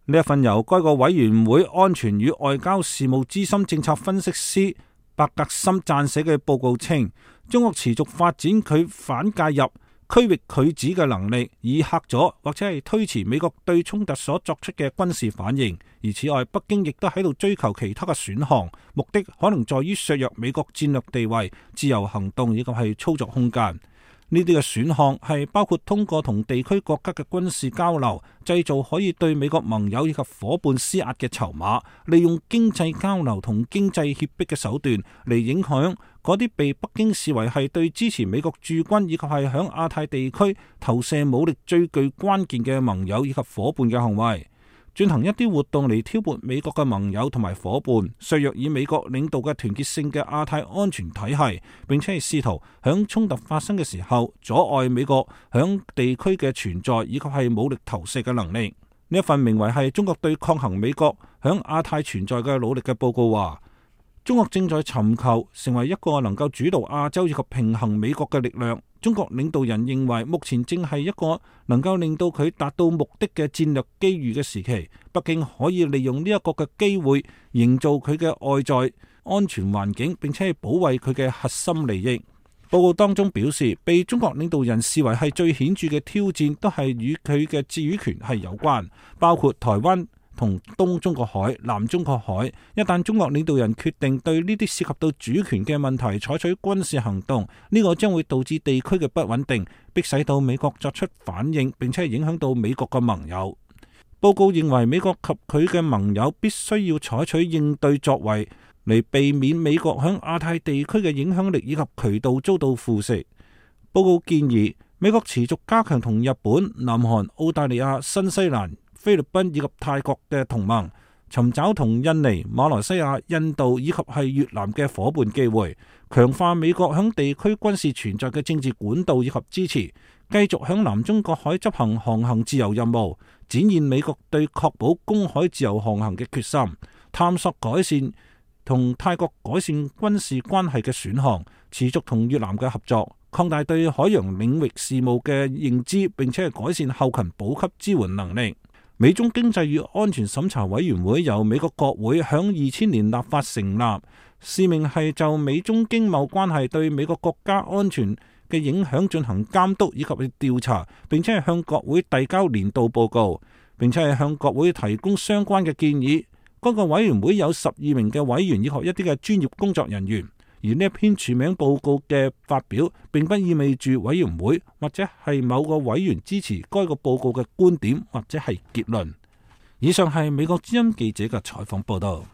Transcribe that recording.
呢一份由該個委員會安全與外交事務資深政策分析師伯格森撰寫嘅報告稱，中國持續發展佢反介入區域拒止嘅能力，以嚇阻或者係推遲美國對衝突所作出嘅軍事反應。而此外，北京亦都喺度追求其他嘅選項，目的可能在於削弱美國戰略地位、自由行動以及係操作空間。呢啲嘅選項係包括通過同地區國家嘅軍事交流，製造可以對美國盟友以及夥伴施壓嘅籌碼，利用經濟交流同經濟脅迫嘅手段嚟影響嗰啲被北京視為係對支持美國駐軍以及係響亞太地區投射武力最具關鍵嘅盟友以及夥伴嘅行為。進行一啲活動嚟挑撥美國嘅盟友同埋夥伴，削弱以美國領導嘅團結性嘅亞太安全體系，並且係試圖響衝突發生嘅時候阻礙美國響地區嘅存在以及係武力投射嘅能力。呢一份名為係中國對抗衡美國響亞太存在嘅努力嘅報告話，中國正在尋求成為一個能夠主導亞洲以及平衡美國嘅力量。中國領導人認為目前正係一個能夠令到佢達到目的嘅戰略機遇嘅時期，北京可以利用呢一個嘅機會營造佢嘅外在安全環境，並且係保衛佢嘅核心利益。報告當中表示，被中國領導人視為係最顯著嘅挑戰都係與佢嘅主權係有關，包括台灣同東中國海、南中國海。一旦中國領導人決定對呢啲涉及到主權嘅問題採取軍事行動，呢個將會導致地區嘅不穩定，迫使到美國作出反應，並且影響到美國嘅盟友。報告認為美國及佢嘅盟友必須要採取應對作為，嚟避免美國響亞太地區嘅影響力以及渠道遭到腐蝕。報告建議美國持續加強同日本、南韓、澳大利亞、新西蘭、菲律賓以及泰國嘅同盟，尋找同印尼、馬來西亞、印度以及係越南嘅夥伴機會，強化美國響地區軍事存在嘅政治管道以及支持，繼續響南中國海執行航行自由任務，展現美國對確保公海自由航行嘅決心，探索改善同泰國改善軍事關係嘅選項，持續同越南嘅合作，擴大對海洋領域事務嘅認知，並且係改善後勤補給支援能力。美中經濟與安全審查委員會由美國國會響2000年立法成立，使命係就美中經貿關係對美國國家安全嘅影響進行監督以及調查，並且係向國會遞交年度報告，並且係向國會提供相關嘅建議。嗰個委員會有12名嘅委員以及一啲嘅專業工作人員。而呢一篇署名報告嘅發表，並不意味住委員會或者係某個委員支持該個報告嘅觀點或者係結論。以上係美國之音記者嘅採訪報道。